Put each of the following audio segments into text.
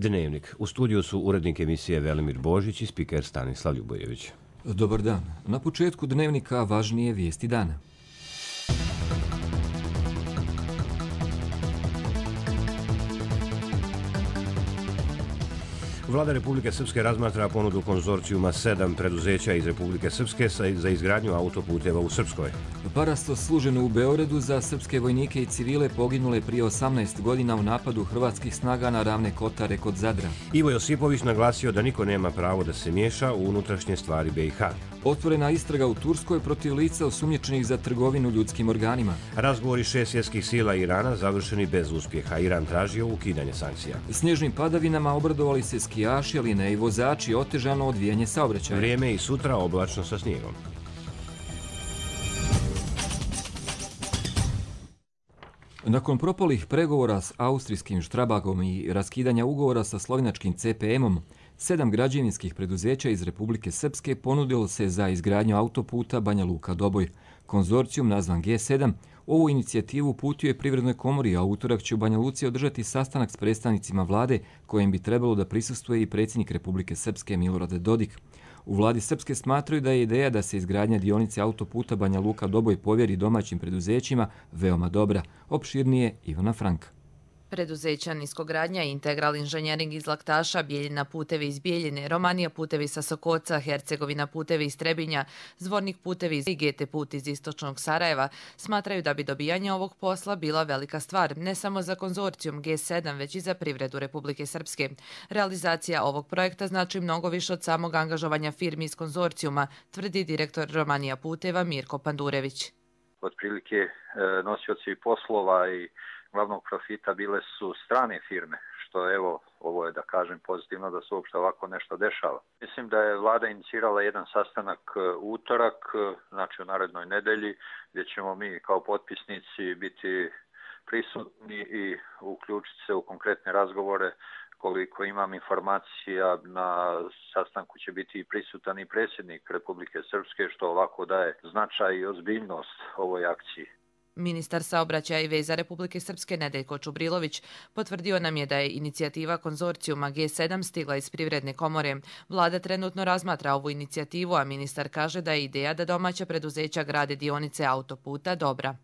Dnevnik. U studiju su urednik emisije Velimir Božić i spiker Stanislav Ljubojević. Dobar dan. Na početku Dnevnika važnije vijesti dana. Vlada Republike Srpske razmatra ponudu konzorcijuma 7 preduzeća iz Republike Srpske za izgradnju autoputeva u Srpskoj. Parasto služeno u Beogradu za srpske vojnike i civile poginule prije 18 godina u napadu hrvatskih snaga na Ravne Kotare kod Zadra. Ivo Josipović naglasio da niko nema pravo da se miješa u unutrašnje stvari BiH. Otvorena istraga u Turskoj protiv lica osumnjičenih za trgovinu ljudskim organima. Razgovori 6 svjetskih sila Irana završeni bez uspjeha. Iran tražio ukidanje sankcija. Snježnim padavinama obradovali se skijaši, ali ne i vozači, otežano odvijanje saobraćaja. Vrijeme i sutra oblačno sa snijegom. Nakon propalih pregovora s austrijskim Strabagom i raskidanja ugovora sa slovenačkim CPM-om, 7 građevinskih preduzeća iz Republike Srpske ponudilo se za izgradnju autoputa Banja Luka-Doboj. Konzorcijum nazvan G7 ovu inicijativu uputio je Privrednoj komori, a utorak će u Banja Luci održati sastanak s predstavnicima vlade kojem bi trebalo da prisustvuje i predsjednik Republike Srpske Milorad Dodik. U vladi Srpske smatraju da je ideja da se izgradnja dionice autoputa Banja Luka-Doboj povjeri domaćim preduzećima veoma dobra. Opširnije Ivana Frank. Preduzeća Niskogradnja, Integral inženjering iz Laktaša, Bijeljina putevi iz Bijeljine, Romanija putevi sa Sokoca, Hercegovina putevi iz Trebinja, Zvornik putevi i GT put iz istočnog Sarajeva smatraju da bi dobijanje ovog posla bila velika stvar, ne samo za konzorcijum G7, već i za privredu Republike Srpske. Realizacija ovog projekta znači mnogo više od samog angažovanja firmi iz konzorcijuma, tvrdi direktor Romanija puteva Mirko Pandurević. Otprilike nosioci poslova i glavnog profita bile su strane firme, što evo, ovo je da kažem pozitivno da se uopšte ovako nešto dešava. Mislim da je vlada inicirala jedan sastanak utorak, znači u narednoj nedelji, gdje ćemo mi kao potpisnici biti prisutni i uključiti se u konkretne razgovore. Koliko imam informacija, na sastanku će biti prisutan i predsjednik Republike Srpske, što ovako daje značaj i ozbiljnost ovoj akciji. Ministar saobraćaja i veza Republike Srpske Nedeljko Čubrilović potvrdio nam je da je inicijativa konzorcijuma G7 stigla iz Privredne komore. Vlada trenutno razmatra ovu inicijativu, a ministar kaže da je ideja da domaća preduzeća grade dionice autoputa dobra.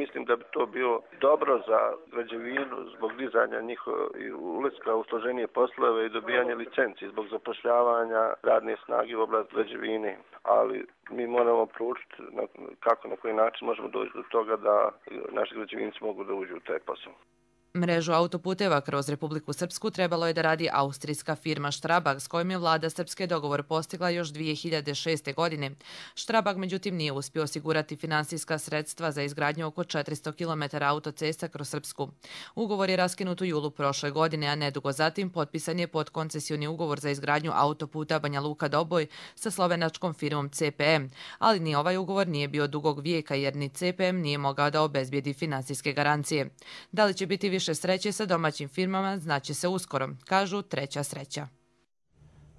Mislim da bi to bilo dobro za građevinu zbog dizanja uleska u složenije poslove i dobijanje licenci zbog zapošljavanja radne snage u oblasti građevine. Ali mi moramo proučiti kako, na koji način možemo doći do toga da naši građevinci mogu da uđu u taj posao. Mrežu autoputeva kroz Republiku Srpsku trebalo je da radi austrijska firma Strabag, s kojom je vlada Srpske dogovor postigla još 2006. godine. Strabag međutim nije uspio osigurati finansijska sredstva za izgradnju oko 400 km autocesta kroz Srpsku. Ugovor je raskinut u julu prošle godine, a nedugo zatim potpisan je podkoncesioni ugovor za izgradnju autoputa Banja Luka-Doboj sa slovenačkom firmom CPM, ali ni ovaj ugovor nije bio dugog vijeka jer ni CPM nije mogao da obezbijedi finansijske garancije. Da li će biti više sreće sa domaćim firmama znaće se uskoro, kažu Treća sreća.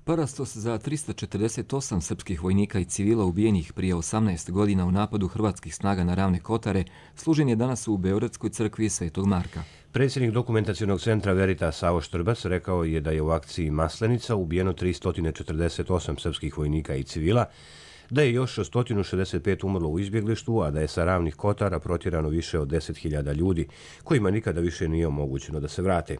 Parastos za 348 srpskih vojnika i civila ubijenih prije 18 godina u napadu hrvatskih snaga na Ravne Kotare služen je danas u Beogradskoj crkvi Svetog Marka. Predsjednik dokumentacionog centra Veritas Savo Štrbac rekao je da je u akciji Maslenica ubijeno 348 srpskih vojnika i civila, da je još 165 umrlo u izbjeglištvu, a da je sa Ravnih Kotara protjerano više od 10.000 ljudi, kojima nikada više nije omogućeno da se vrate.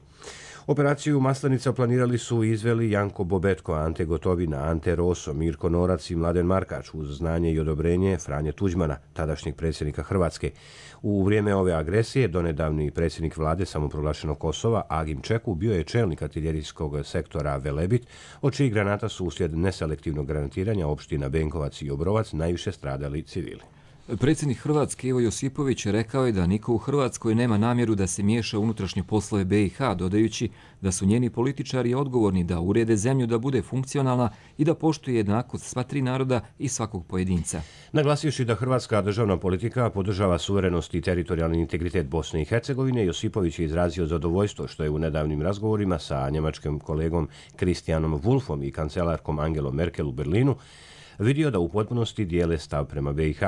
Operaciju Maslenica planirali su i izveli Janko Bobetko, Ante Gotovina, Ante Roso, Mirko Norac i Mladen Markač uz znanje i odobrenje Franje Tuđmana, tadašnjeg predsjednika Hrvatske. U vrijeme ove agresije donedavni predsjednik vlade samoproglašenog Kosova, Agim Čeku, bio je čelnik artiljerijskog sektora Velebit, od čijih granata su uslijed neselektivnog granatiranja opština Benkovac i Obrovac najviše stradali civili. Predsjednik Hrvatske Ivo Josipović rekao je da niko u Hrvatskoj nema namjeru da se miješa u unutrašnje poslove BiH, dodajući da su njeni političari odgovorni da urede zemlju da bude funkcionalna i da poštuje jednakost sva tri naroda i svakog pojedinca. Naglasivši da hrvatska državna politika podržava suverenost i teritorijalni integritet Bosne i Hercegovine, Josipović je izrazio zadovoljstvo što je u nedavnim razgovorima sa njemačkim kolegom Christianom Wulffom i kancelarkom Angelom Merkel u Berlinu vidio da u potpunosti dijele stav prema BiH.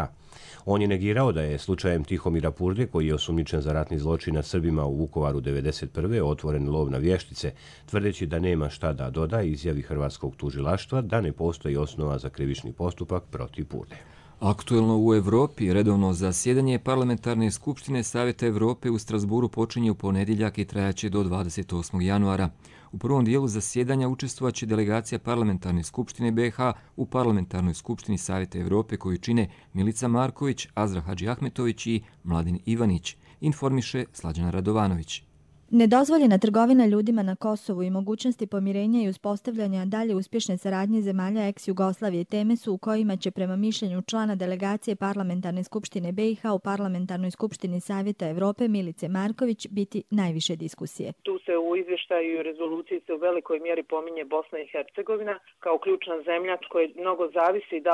On je negirao da je slučajem Tihomira Purde, koji je osumnjičen za ratni zločin nad Srbima u Vukovaru 1991. otvoren lov na vještice, tvrdeći da nema šta da doda izjavi hrvatskog tužilaštva da ne postoji osnova za krivični postupak protiv Purde. Aktuelno u Evropi redovno zasjedanje Parlamentarne skupštine Savjeta Evrope u Strasburu počinje u ponedjeljak i trajaće do 28. januara. U prvom dijelu zasjedanja učestvovaće delegacija Parlamentarne skupštine BiH u Parlamentarnoj skupštini Savjeta Evrope koju čine Milica Marković, Azra Hadžiahmetović i Mladen Ivanić, informiše Slađana Radovanović. Nedozvoljena trgovina ljudima na Kosovu i mogućnosti pomirenja i uspostavljanja dalje uspješne saradnje zemalja ex-Jugoslavije teme su u kojima će prema mišljenju člana delegacije Parlamentarne skupštine BiH u Parlamentarnoj skupštini Savjeta Evrope Milice Marković biti najviše diskusije. Tu se u izvještaju i rezoluciji se u velikoj mjeri pominje Bosna i Hercegovina kao ključna zemlja koja mnogo zavisi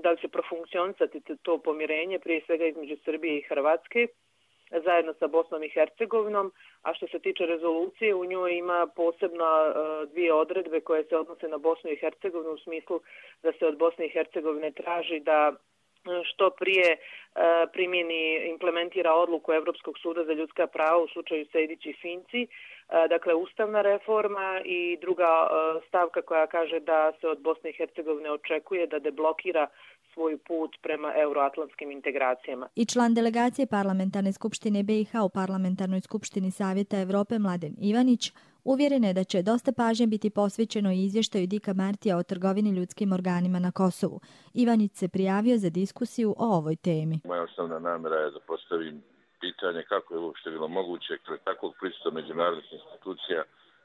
da li će profunkcionisati to pomirenje, prije svega između Srbije i Hrvatske, zajedno sa Bosnom i Hercegovinom, a što se tiče rezolucije, u njoj ima posebno dvije odredbe koje se odnose na Bosnu i Hercegovinu u smislu da se od Bosne i Hercegovine traži da što prije implementira odluku Europskog suda za ljudska prava u slučaju Sejdić i Finci, dakle ustavna reforma, i druga stavka koja kaže da se od Bosne i Hercegovine očekuje da deblokira svoj put prema euroatlantskim integracijama. I član delegacije Parlamentarne skupštine BiH u Parlamentarnoj skupštini Savjeta Evrope Mladen Ivanić uvjeren je da će dosta pažnje biti posvećeno i izvještaju Dika Martija o trgovini ljudskim organima na Kosovu. Ivanić se prijavio za diskusiju o ovoj temi. Moja osnovna namjera je da postavim pitanje kako je uopšte bilo moguće kroz takvog prisustva međunarodnih institucija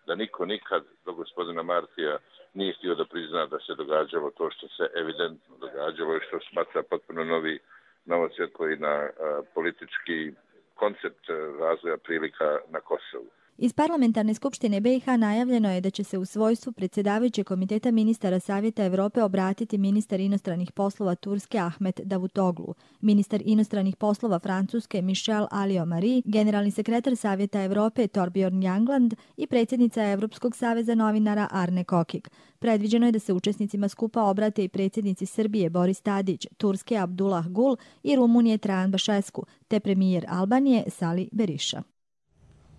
da niko nikad do gospodina Martija nije htio da prizna da se događalo to što se evidentno događalo i što smatra potpuno novo svjetlo i na politički koncept razvoja prilika na Kosovu. Iz Parlamentarne skupštine BiH najavljeno je da će se u svojstvu predsjedavajućeg komiteta ministara Savjeta Evrope obratiti ministar inostranih poslova Turske Ahmet Davutoglu, ministar inostranih poslova Francuske Michel Alliot-Marie, generalni sekretar Savjeta Evrope Torbjorn Jagland i predsjednica Evropskog saveza novinara Arne Kokik. Predviđeno je da se učesnicima skupa obrate i predsjednici Srbije Boris Tadić, Turske Abdullah Gul i Rumunije Trajan Bašesku, te premijer Albanije Sali Berisha.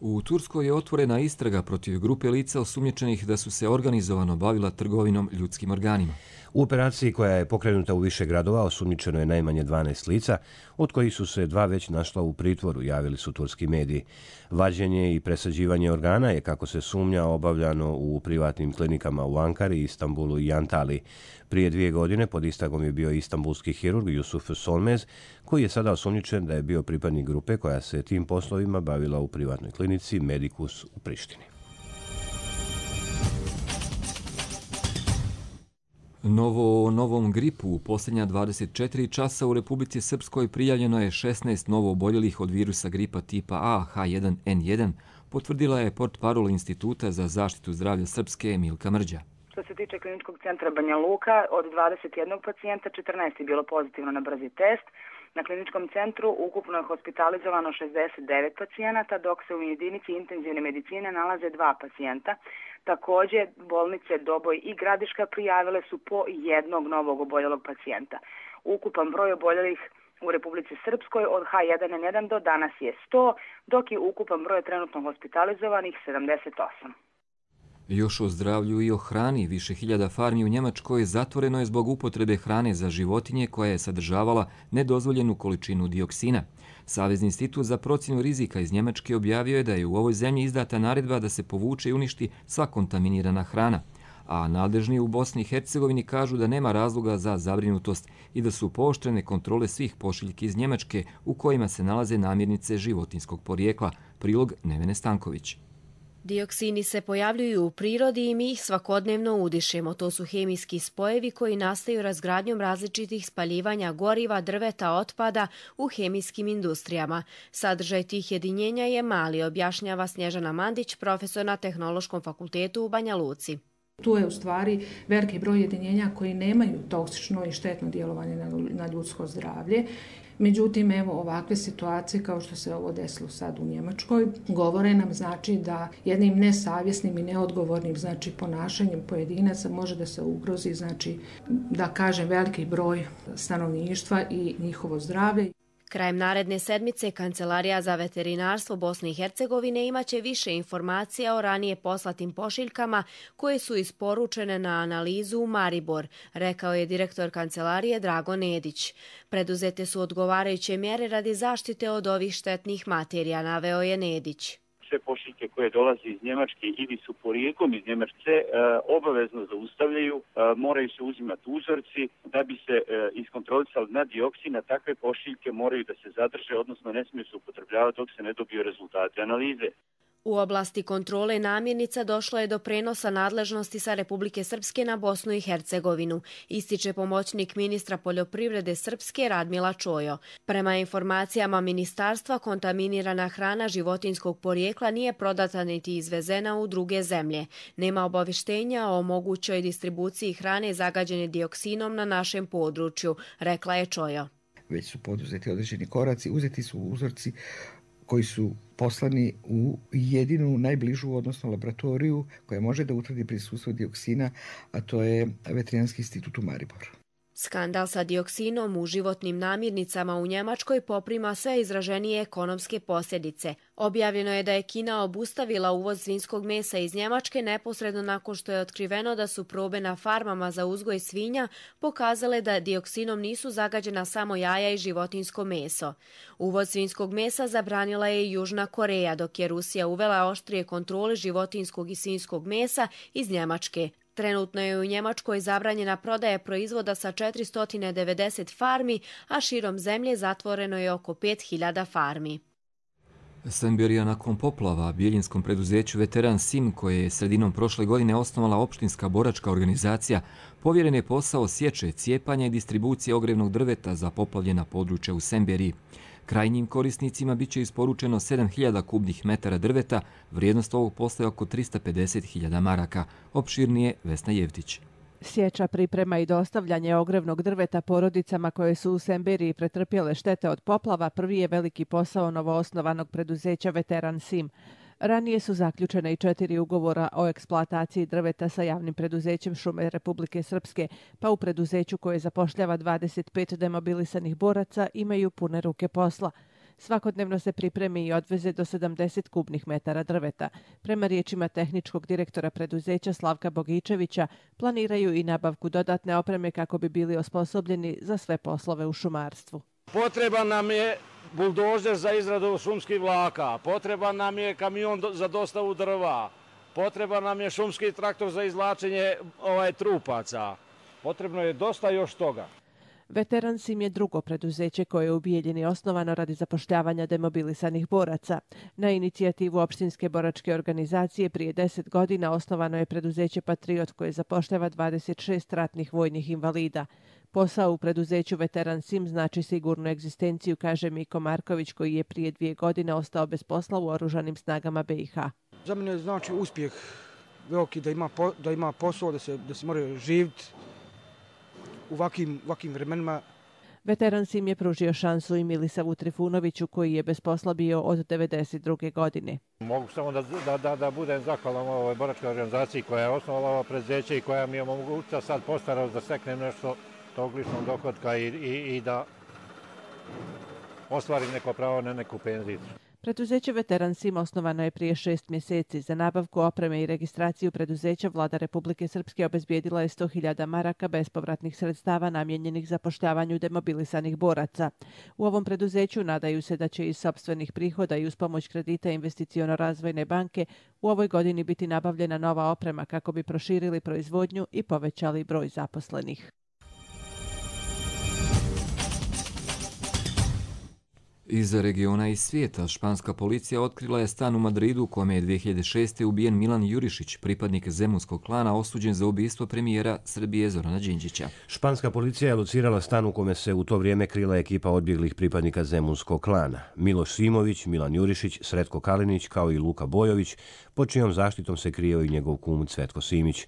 U Turskoj je otvorena istraga protiv grupe lica osumnjičenih da su se organizovano bavila trgovinom ljudskim organima. U operaciji koja je pokrenuta u više gradova osumnjičeno je najmanje 12 lica, od kojih su se 2 već našla u pritvoru, javili su turski mediji. Vađenje i presađivanje organa je, kako se sumnja, obavljano u privatnim klinikama u Ankari, Istanbulu i Antaliji. Prije 2 godine pod istragom je bio istanbulski hirurg Yusuf Solmez, koji je sada osumnjičen da je bio pripadnik grupe koja se tim poslovima bavila u privatnoj klinici Medicus u Prištini. Novom gripu u posljednja 24 časa u Republici Srpskoj prijavljeno je 16 novo oboljelih od virusa gripa tipa A H1N1, potvrdila je portparol Instituta za zaštitu zdravlja Srpske Milka Mrđa. Što se tiče kliničkog centra Banja Luka, od 21 pacijenta 14 je bilo pozitivno na brzi test. Na kliničkom centru ukupno je hospitalizovano 69 pacijenata, dok se u jedinici intenzivne medicine nalaze 2 pacijenta. Također, bolnice Doboj i Gradiška prijavile su po jednog novog oboljelog pacijenta. Ukupan broj oboljelih u Republici Srpskoj od H1N1 do danas je 100, dok je ukupan broj trenutno hospitalizovanih 78. Još o zdravlju i o hrani. Više hiljada farmi u Njemačkoj zatvoreno je zbog upotrebe hrane za životinje koja je sadržavala nedozvoljenu količinu dioksina. Savezni institut za procjenu rizika iz Njemačke objavio je da je u ovoj zemlji izdata naredba da se povuče i uništi sva kontaminirana hrana, a nadležni u Bosni i Hercegovini kažu da nema razloga za zabrinutost i da su pooštrene kontrole svih pošiljki iz Njemačke u kojima se nalaze namirnice životinskog porijekla. Prilog Nevene Stanković. Dioksini se pojavljuju u prirodi i mi ih svakodnevno udišemo. To su hemijski spojevi koji nastaju razgradnjom različitih spaljivanja goriva, drveta, otpada u hemijskim industrijama. Sadržaj tih jedinjenja je mali, objašnjava Snježana Mandić, profesor na Tehnološkom fakultetu u Banja Luci. Tu je u stvari veliki broj jedinjenja koji nemaju toksično i štetno djelovanje na ljudsko zdravlje. Međutim, evo ovakve situacije kao što se ovo desilo sad u Njemačkoj govore nam znači da jednim nesavjesnim i neodgovornim znači ponašanjem pojedinaca može da se ugrozi znači da kažem veliki broj stanovništva i njihovo zdravlje. Krajem naredne sedmice Kancelarija za veterinarstvo Bosne i Hercegovine imaće više informacija o ranije poslatim pošiljkama koje su isporučene na analizu u Maribor, rekao je direktor Kancelarije Drago Nedić. Preduzete su odgovarajuće mjere radi zaštite od ovih štetnih materija, naveo je Nedić. Sve pošiljke koje dolaze iz Njemačke ili su porijeklom iz Njemačke obavezno zaustavljaju, moraju se uzimati uzorci da bi se iskontrolisali na dioksin, a takve pošiljke moraju da se zadrže, odnosno ne smiju se upotrebljavati dok se ne dobiju rezultate analize. U oblasti kontrole namirnica došlo je do prenosa nadležnosti sa Republike Srpske na Bosnu i Hercegovinu, ističe pomoćnik ministra poljoprivrede Srpske Radmila Čojo. Prema informacijama ministarstva, kontaminirana hrana životinjskog porijekla nije prodata niti izvezena u druge zemlje. Nema obavještenja o mogućoj distribuciji hrane zagađene dioksinom na našem području, rekla je Čojo. Već su poduzeti određeni koraci, uzeti su uzorci koji su poslani u jedinu najbližu, odnosno laboratoriju koja može da utvrdi prisustvo dioksina, a to je Veterinarski institut u Mariboru. Skandal sa dioksinom u životnim namirnicama u Njemačkoj poprima sve izraženije ekonomske posljedice. Objavljeno je da je Kina obustavila uvoz svinjskog mesa iz Njemačke neposredno nakon što je otkriveno da su probe na farmama za uzgoj svinja pokazale da dioksinom nisu zagađena samo jaja i životinjsko meso. Uvoz svinjskog mesa zabranila je i Južna Koreja, dok je Rusija uvela oštrije kontrole životinjskog i svinjskog mesa iz Njemačke. Trenutno je u Njemačkoj zabranjena prodaja proizvoda sa 490 farmi, a širom zemlje zatvoreno je oko 5000 farmi. Semberija nakon poplava biljinskom preduzeću Veteran Sim, koje je sredinom prošle godine osnovala opštinska boračka organizacija, povjeren je posao sječe, cijepanja i distribucije ogrevnog drveta za poplavljena područja u Semberiji. Krajnjim korisnicima bit će isporučeno 7000 kubnih metara drveta, vrijednost ovog posla je oko 350.000 maraka. Opširnije Vesna Jevtić. Sječa, priprema i dostavljanje ogrevnog drveta porodicama koje su u Semberiji pretrpjele štete od poplava prvi je veliki posao novoosnovanog preduzeća Veteran Sim. Ranije su zaključene i 4 ugovora o eksploataciji drveta sa javnim preduzećem Šume Republike Srpske, pa u preduzeću koje zapošljava 25 demobilisanih boraca imaju pune ruke posla. Svakodnevno se pripremi i odveze do 70 kubnih metara drveta. Prema riječima tehničkog direktora preduzeća Slavka Bogičevića, planiraju i nabavku dodatne opreme kako bi bili osposobljeni za sve poslove u šumarstvu. Potreban nam je buldozer za izradu šumskih vlaka, potreban nam je kamion za dostavu drva, potreban nam je šumski traktor za izvlačenje trupaca. Potrebno je dosta još toga. Veteran Sim je drugo preduzeće koje je u Bijeljini osnovano radi zapošljavanja demobilisanih boraca. Na inicijativu opštinske boračke organizacije prije 10 godina osnovano je preduzeće Patriot koje zapošljava 26 ratnih vojnih invalida. Posao u preduzeću Veteran Sim znači sigurnu egzistenciju, kaže Miko Marković koji je prije 2 godine ostao bez posla u oružanim snagama BiH. Za mene znači uspjeh veliki da ima posao, da se mora živjeti u ovakvim vremenima. Veteran Sim je pružio šansu i Milisavu Trifunoviću koji je bez posla bio od 1992. godine. Mogu samo da budem zahvalan ovoj boračkoj organizaciji koja je osnovala ovo preduzeće i koja mi je omogućila sad postarao da steknem nešto tog ličnog dohotka i da ostvarim neko pravo na neku penziju. Preduzeće Veteran Sim osnovano je prije 6 mjeseci. Za nabavku opreme i registraciju preduzeća vlada Republike Srpske obezbijedila je 100.000 maraka bespovratnih sredstava namjenjenih zapošljavanju demobilisanih boraca. U ovom preduzeću nadaju se da će iz sopstvenih prihoda i uz pomoć kredita Investiciono-razvojne banke u ovoj godini biti nabavljena nova oprema kako bi proširili proizvodnju i povećali broj zaposlenih. Iz regiona i svijeta španska policija otkrila je stan u Madridu u kome je 2006. ubijen Milan Jurišić, pripadnik zemunskog klana osuđen za ubistvo premijera Srbije Zorana Đinđića. Španska policija je locirala stan u kome se u to vrijeme krila ekipa odbjeglih pripadnika zemunskog klana. Miloš Simović, Milan Jurišić, Sretko Kalinić kao i Luka Bojović pod čijom zaštitom se krijeo i njegov kum Cvetko Simić.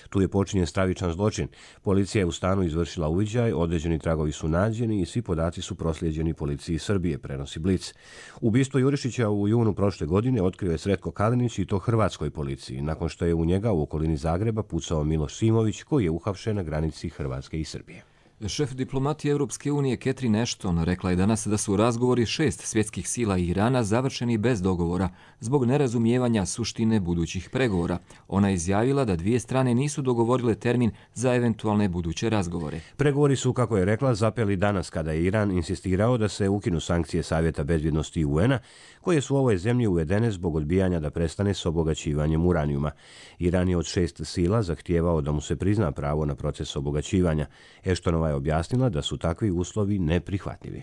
Tu je počinjen stravičan zločin. Policija je u stanu izvršila uviđaj, određeni tragovi su nađeni i svi podaci su proslijeđeni policiji Srbije, prenosi Blic. Ubistvo Jurišića u junu prošle godine otkrio je Sretko Kalinić i to hrvatskoj policiji, nakon što je u njega u okolini Zagreba pucao Miloš Simović, koji je uhapšen na granici Hrvatske i Srbije. Šef diplomatije Europske unije Catherine Ashton rekla je danas da su razgovori 6 svjetskih sila i Irana završeni bez dogovora zbog nerazumijevanja suštine budućih pregovora. Ona je izjavila da dvije strane nisu dogovorile termin za eventualne buduće razgovore. Pregovori su, kako je rekla, zapeli danas kada je Iran insistirao da se ukinu sankcije Savjeta bezbjednosti UN-a, koje su u ovoj zemlji uvedene zbog odbijanja da prestane s obogaćivanjem uranijuma. Iran je od 6 sila zahtijevao da mu se prizna pravo na proces obogaćivanja. Ashtonova je objasnila da su takvi uslovi neprihvatljivi.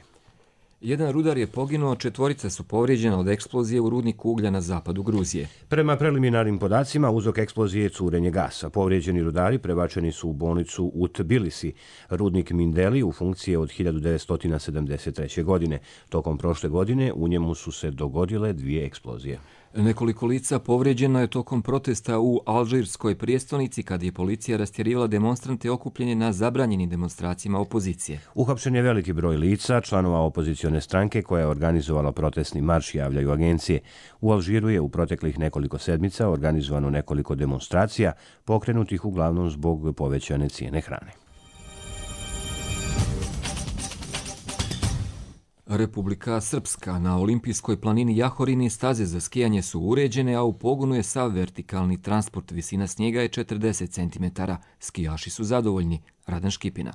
Jedan rudar je poginuo, 4 su povrijeđena od eksplozije u rudniku uglja na zapadu Gruzije. Prema preliminarnim podacima, uzrok eksplozije je curenje gasa. Povrijeđeni rudari prebačeni su u bolnicu u Tbilisi. Rudnik Mindeli u funkciji je od 1973. godine. Tokom prošle godine u njemu su se dogodile 2 eksplozije. Nekoliko lica povrijeđeno je tokom protesta u alžirskoj prijestolnici kad je policija rastjerivala demonstrante okupljene na zabranjenim demonstracijama opozicije. Uhapšen je veliki broj lica, članova opozicione stranke koja je organizovala protestni marš, javljaju agencije. U Alžiru je u proteklih nekoliko sedmica organizovano nekoliko demonstracija, pokrenutih uglavnom zbog povećane cijene hrane. Republika Srpska. Na olimpijskoj planini Jahorini staze za skijanje su uređene, a u pogonu je sav vertikalni transport. Visina snijega je 40 cm. Skijaši su zadovoljni. Radan Škipina.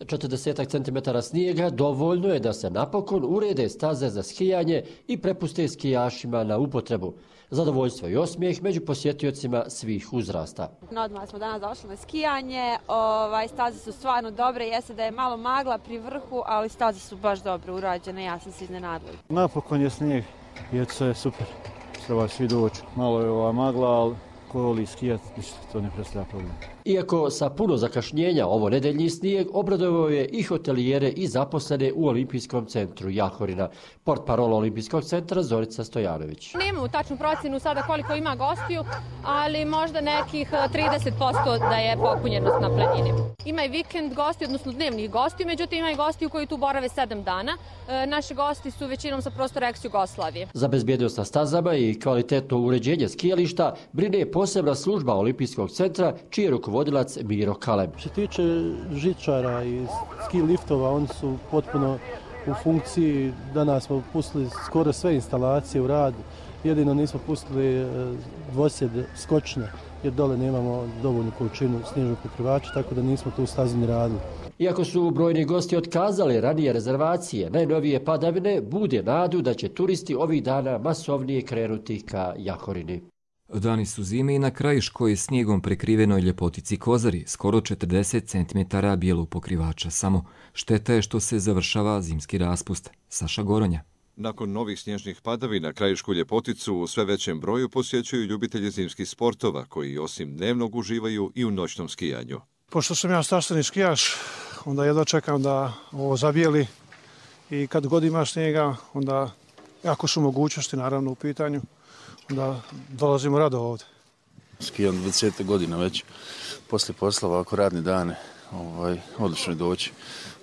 40 cm snijega dovoljno je da se napokon urede staze za skijanje i prepuste skijašima na upotrebu. Zadovoljstvo i osmijeh među posjetiocima svih uzrasta. Odmah smo danas došli na skijanje, staze su stvarno dobre, jeste da je malo magla pri vrhu, ali staze su baš dobro urađene, ja sam se iznenadila. Napokon je snijeg i to je super, treba svi doći. Malo je ova magla, ali ko voli skijati, ništa, to ne predstavlja problem. Iako sa puno zakašnjenja ovo nedeljni snijeg obradovao je i hotelijere i zaposlene u Olimpijskom centru Jahorina. Portparola Olimpijskog centra Zorica Stojanović. Nemamo tačnu procjenu sada koliko ima gostiju, ali možda nekih 30% da je popunjenost na planini. Ima i vikend gosti, odnosno dnevnih gostiju, međutim ima i gostiju koji tu borave 7 dana. Naši gosti su većinom sa prostora ex-Jugoslavije. Za bezbjednost na stazama i kvalitetno uređenje skijališta brine posebna služba Olimpijskog centra, čiji je rukovodilac Miro Kalem. Što se tiče žičara i ski liftova, oni su potpuno u funkciji. Danas smo pustili skoro sve instalacije u rad. Jedino nismo pustili dvosjed skočne, jer dole nemamo dovoljnu količinu snježnog pokrivača, tako da nismo tu stazu ni radili. Iako su brojni gosti otkazali ranije rezervacije, najnovije padavine bude nadu da će turisti ovih dana masovnije krenuti ka Jahorini. Dani su zime i na Krajiškoj snijegom prekrivenoj ljepotici Kozari, skoro 40 cm bijelog pokrivača samo. Šteta je što se završava zimski raspust. Saša Goronja. Nakon novih snježnih padavina Krajišku ljepoticu u sve većem broju posjećuju ljubitelji zimskih sportova, koji osim dnevnog uživaju i u noćnom skijanju. Pošto sam ja strastveni skijaš, onda jedva čekam da ovo zabijeli i kad god ima snijega, onda ako su mogućnosti naravno u pitanju, onda dolazimo rado ovdje. Skijam 20 godina već, poslije posla ovako radne dane, odlično je doći,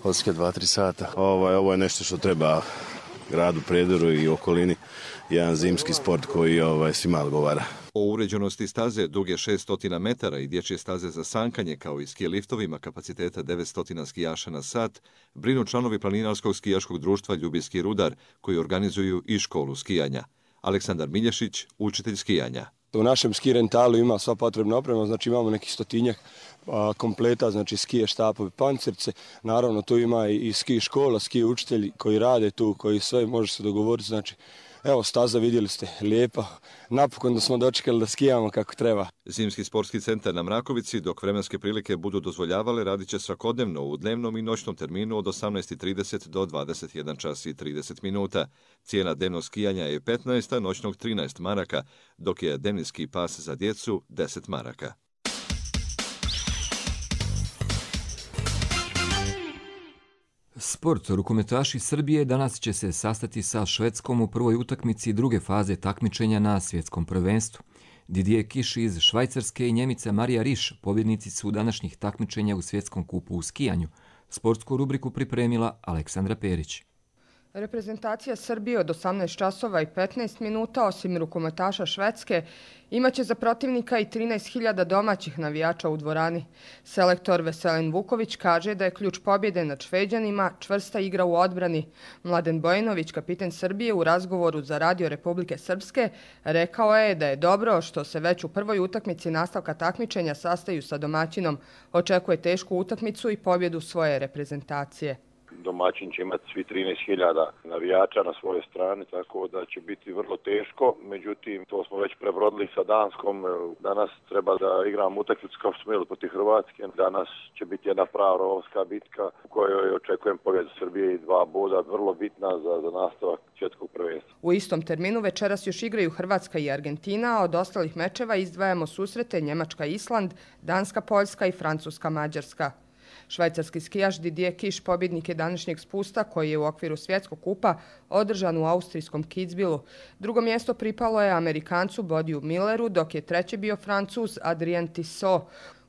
odskija 2-3 sata. Ovo je nešto što treba gradu Prijedoru i okolini, jedan zimski sport koji svima odgovara. O uređenosti staze duge 600 metara i dječje staze za sankanje, kao i ski liftovima kapaciteta 900 skijaša na sat, brinu članovi planinarskog skijaškog društva Ljubijski rudar, koji organizuju i školu skijanja. Aleksandar Milješić, učitelj skijanja. U našem ski rentalu ima sva potrebna oprema, znači imamo nekih 100 kompleta, znači skije, štapovi, pancirce. Naravno tu ima i ski škola, ski učitelji koji rade tu, koji sve može se dogovoriti. Znači, evo staza vidjeli ste, lijepa. Napokon da smo dočekali da skijamo kako treba. Zimski sportski centar na Mrakovici, dok vremenske prilike budu dozvoljavale, radit će svakodnevno u dnevnom i noćnom terminu od 18:30 do 21:30 minuta. Cijena dnevnog skijanja je 15, a noćnog 13 maraka, dok je dnevni ski pas za djecu 10 maraka. Sport. Rukometaši Srbije danas će se sastati sa Švedskom u prvoj utakmici druge faze takmičenja na svjetskom prvenstvu. Didier Kiš iz Švajcarske i Njemica Marija Riš pobjednici su današnjih takmičenja u svjetskom kupu u skijanju. Sportsku rubriku pripremila Aleksandra Perić. Reprezentacija Srbije od 18 časova i 15 minuta, osim rukometaša Švedske, imaće za protivnika i 13.000 domaćih navijača u dvorani. Selektor Veselin Vuković kaže da je ključ pobjede nad Šveđanima čvrsta igra u odbrani. Mladen Bojanović, kapiten Srbije, u razgovoru za Radio Republike Srpske, rekao je da je dobro što se već u prvoj utakmici nastavka takmičenja sastaju sa domaćinom. Očekuje tešku utakmicu i pobjedu svoje reprezentacije. Domaćin će imati svi 13.000 navijača na svojoj strani, tako da će biti vrlo teško. Međutim, to smo već prebrodili sa Danskom. Danas treba da igramo utakmicu kao što smo imali protiv Hrvatske. Danas će biti jedna prava rovska bitka u kojoj očekujem pobjedu Srbije i 2 boda, vrlo bitna za nastavak svjetskog prvenstva. U istom terminu večeras još igraju Hrvatska i Argentina, a od ostalih mečeva izdvajamo susrete Njemačka-Island, Danska-Poljska i Francuska-Mađarska. Švajcarski skijaš Didier Kiš pobjednik je današnjeg spusta koji je u okviru svjetskog kupa održan u austrijskom Kitzbühelu. Drugo mjesto pripalo je Amerikancu Bodiju Milleru, dok je treći bio Francuz Adrien Tissot.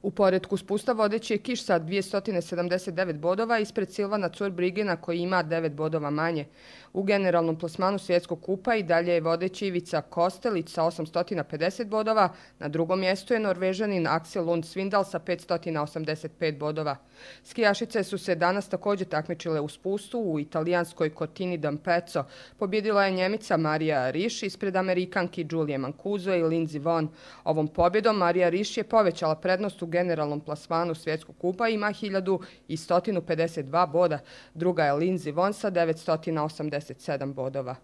U poretku spusta vodeći je Kiš sa 279 bodova ispred Silvana Zurbrigena koji ima 9 bodova manje. U generalnom plasmanu svjetskog kupa i dalje je vodeći Ivica Kostelić sa 850 bodova, na drugom mjestu je Norvežanin Axel Lund Svindal sa 585 bodova. Skijašice su se danas također takmičile u spustu u italijanskoj Cortini d'Ampezzo. Pobjedila je Njemica Marija Riš ispred Amerikanki Julie Mancuso i Lindsey Vonn. Ovom pobjedom Marija Riš je povećala prednost u generalnom plasmanu svjetskog kupa i ima 1152 boda. Druga je Lindsey Vonn sa 987 bodova.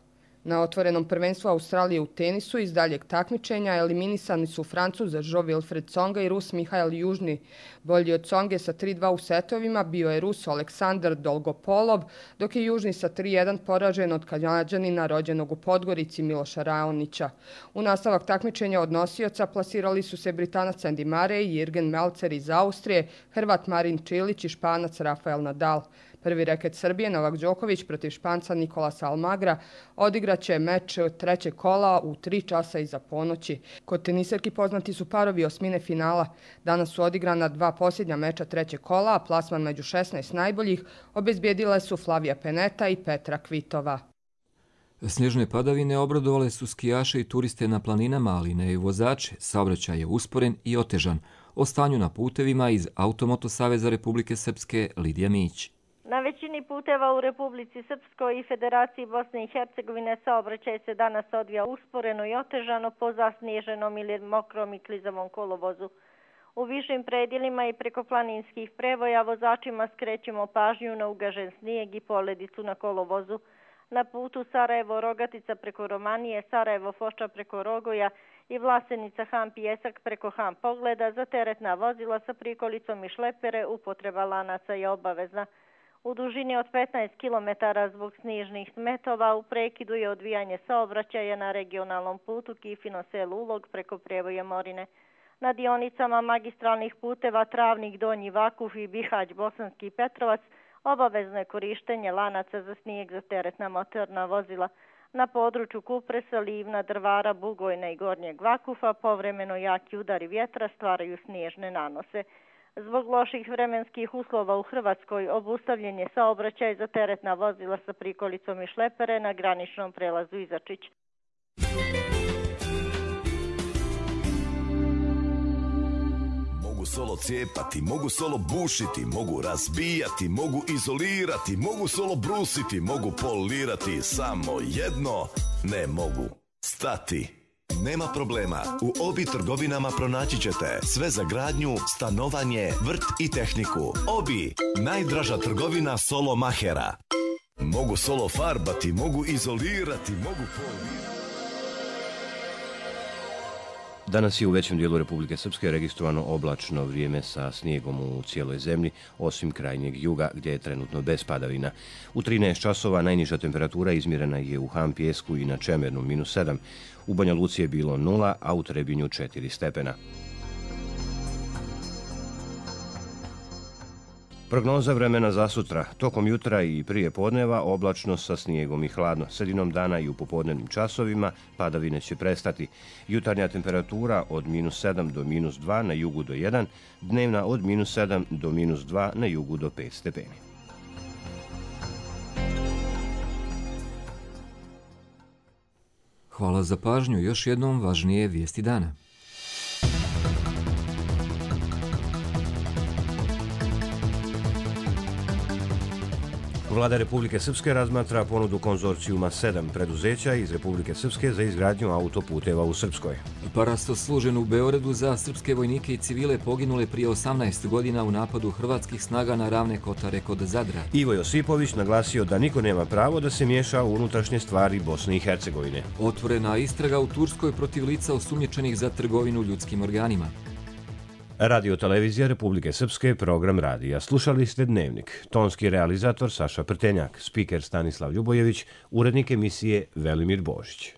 Na otvorenom prvenstvu Australije u tenisu iz daljeg takmičenja eliminisani su Francuz Jean-Wilfried Tsonga i Rus Mihail Južni. Bolji od Tsonge sa 3-2 u setovima bio je Rus Aleksandar Dolgopolov, dok je Južni sa 3-1 poražen od Kanadžanina rođenog u Podgorici Miloša Raonića. U nastavak takmičenja od nosioca plasirali su se Britanac Andy Murray i Jürgen Melzer iz Austrije, Hrvat Marin Čilić i Španac Rafael Nadal. Prvi reket Srbije Novak Đoković protiv Španca Nikolasa Almagra odigraće meč trećeg kola u 3 časa iza ponoći. Kod teniserki poznati su parovi osmine finala. Danas su odigrana 2 posljednja meča trećeg kola, a plasman među 16 najboljih obezbijedile su Flavija Peneta i Petra Kvitova. Snježne padavine obradovale su skijaše i turiste na planinama, ali ne i vozače. Saobraćaj je usporen i otežan. O stanju na putevima iz Automoto Saveza Republike Srpske Lidija Mić. Na većini puteva u Republici Srpskoj i Federaciji Bosne i Hercegovine saobraćaj se danas odvija usporeno i otežano po zasnježenom ili mokrom i klizavom kolovozu. U višim predjelima i preko planinskih prevoja vozačima skrećemo pažnju na ugažen snijeg i poledicu na kolovozu. Na putu Sarajevo-Rogatica preko Romanije, Sarajevo-Foča preko Rogoja i Vlasenica-Han Pijesak preko Han Pogleda za teretna vozila sa prikolicom i šlepere upotreba lanaca je obavezna. U dužini od 15 km zbog snižnih smetova u prekidu je odvijanje saobraćaja na regionalnom putu Kifino selo Ulog preko Prijevoja Morine. Na dionicama magistralnih puteva Travnik, Donji Vakuf i Bihać, Bosanski Petrovac obavezno je korištenje lanaca za snijeg za teretna motorna vozila. Na području Kupresa, Livna, Drvara, Bugojna i Gornjeg Vakufa povremeno jaki udari vjetra stvaraju snježne nanose. Zbog loših vremenskih uslova u Hrvatskoj obustavljen je saobraćaj za teretna vozila sa prikolicom i šlepere na graničnom prelazu Izačić. Mogu solo cijepati, mogu solo bušiti, mogu razbijati, mogu izolirati, mogu solo brusiti, mogu polirati, samo jedno ne mogu stati. Nema problema, u Obi trgovinama pronaći ćete sve za gradnju, stanovanje, vrt i tehniku. Obi, najdraža trgovina solo mahera. Mogu solo farbati, mogu izolirati, mogu polirati. Danas je u većem dijelu Republike Srpske registrovano oblačno vrijeme sa snijegom u cijeloj zemlji, osim krajnjeg juga gdje je trenutno bez padavina. U 13 časova najniža temperatura izmjerena je u Han Pijesku i na Čemernu -7. U Banja Luci je bilo 0, a u Trebinju 4 stepena. Prognoza vremena za sutra. Tokom jutra i prije podneva oblačno sa snijegom i hladno. Sredinom dana i u popodnevnim časovima padavine će prestati. Jutarnja temperatura od -7 do -2, na jugu do 1, dnevna od -7 do -2, na jugu do 5 stepeni. Hvala za pažnju. Još jednom važnije vijesti dana. Vlada Republike Srpske razmatra ponudu konzorcijuma 7 preduzeća iz Republike Srpske za izgradnju autoputeva u Srpskoj. Parasto služen u Beogradu za srpske vojnike i civile poginule prije 18 godina u napadu hrvatskih snaga na Ravne Kotare kod Zadra. Ivo Josipović naglasio da niko nema pravo da se miješa u unutrašnje stvari Bosne i Hercegovine. Otvorena istraga u Turskoj protiv lica osumnjičenih za trgovinu ljudskim organima. Radio Televizija Republike Srpske, program radija. Slušali ste Dnevnik. Tonski realizator Saša Prtenjak, spiker Stanislav Ljubojević, urednik emisije Velimir Božić.